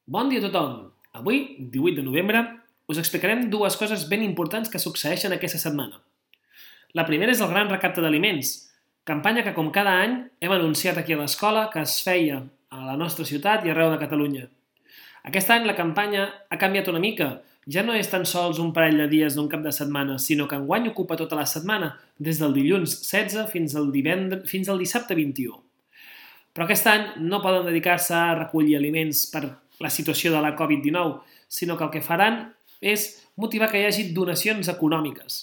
Bon dia a tothom! Avui, 18 de novembre, us explicarem dues coses ben importants que succeeixen aquesta setmana. La primera és el Gran Recapte d'Aliments, campanya que com cada any hem anunciat aquí a l'escola que es feia a la nostra ciutat i arreu de Catalunya. Aquest any la campanya ha canviat una mica. Ja no és tan sols un parell de dies d'un cap de setmana, sinó que enguany ocupa tota la setmana, des del dilluns 16 fins al dissabte 21. Però aquest any no poden dedicar-se a recollir aliments per la situació de la Covid-19, sinó que el que faran és motivar que hi hagi donacions econòmiques.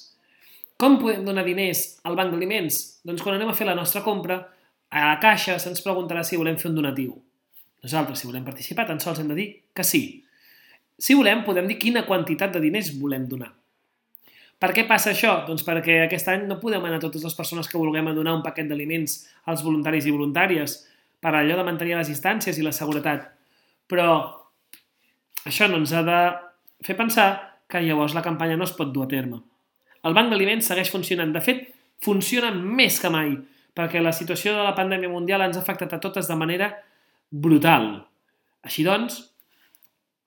Com podem donar diners al banc d'aliments? Doncs quan anem a fer la nostra compra, a la caixa se'ns preguntarà si volem fer un donatiu. Nosaltres, si volem participar, tan sols hem de dir que sí. Si volem, podem dir quina quantitat de diners volem donar. Per què passa això? Doncs perquè aquest any no podem anar a totes les persones que vulguem a donar un paquet d'aliments als voluntaris i voluntàries, per allò de mantenir les distàncies i la seguretat. Però això no ens ha de fer pensar que llavors la campanya no es pot dur a terme. El banc d'aliments segueix funcionant. De fet, funciona més que mai, perquè la situació de la pandèmia mundial ens ha afectat a totes de manera brutal. Així doncs,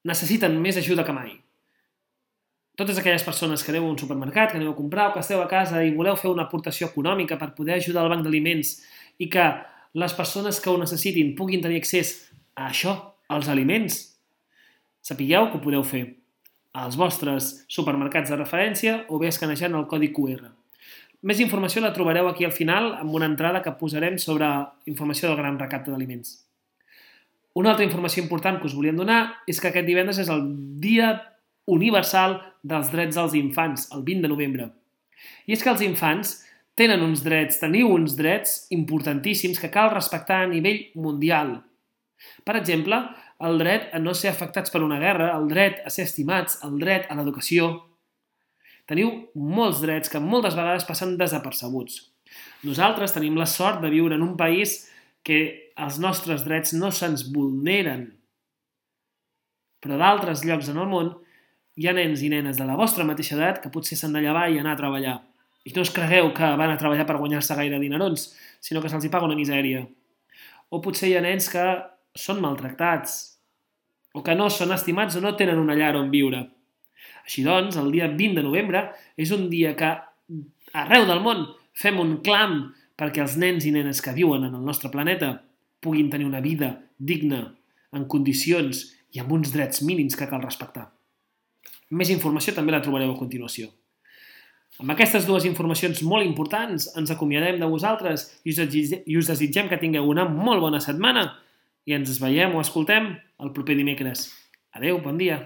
necessiten més ajuda que mai. Totes aquelles persones que aneu a un supermercat, que aneu a comprar o que esteu a casa i voleu fer una aportació econòmica per poder ajudar al banc d'aliments i que les persones que ho necessitin puguin tenir accés a això, als aliments, sapigueu que ho podeu fer als vostres supermercats de referència o bé escanejant el codi QR. Més informació la trobareu aquí al final amb una entrada que posarem sobre informació del Gran Recapte d'Aliments. Una altra informació important que us volíem donar és que aquest divendres és el Dia Universal dels Drets dels Infants, el 20 de novembre. I és que els infants teniu uns drets importantíssims que cal respectar a nivell mundial. Per exemple, el dret a no ser afectats per una guerra, el dret a ser estimats, el dret a l'educació. Teniu molts drets que moltes vegades passen desapercebuts. Nosaltres tenim la sort de viure en un país que els nostres drets no se'ns vulneren. Però d'altres llocs en el món hi ha nens i nenes de la vostra mateixa edat que potser s'han de llevar i anar a treballar. I no us cregueu que van a treballar per guanyar-se gaire dinerons, sinó que se'ls paga una misèria. O potser hi ha nens que són maltractats, o que no són estimats o no tenen una llar on viure. Així doncs, el dia 20 de novembre és un dia que arreu del món fem un clam perquè els nens i nenes que viuen en el nostre planeta puguin tenir una vida digna, en condicions i amb uns drets mínims que cal respectar. Més informació també la trobareu a continuació. Amb aquestes dues informacions molt importants ens acomiadem de vosaltres i us desitgem que tingueu una molt bona setmana i ens veiem o escoltem el proper dimecres. Adeu, bon dia!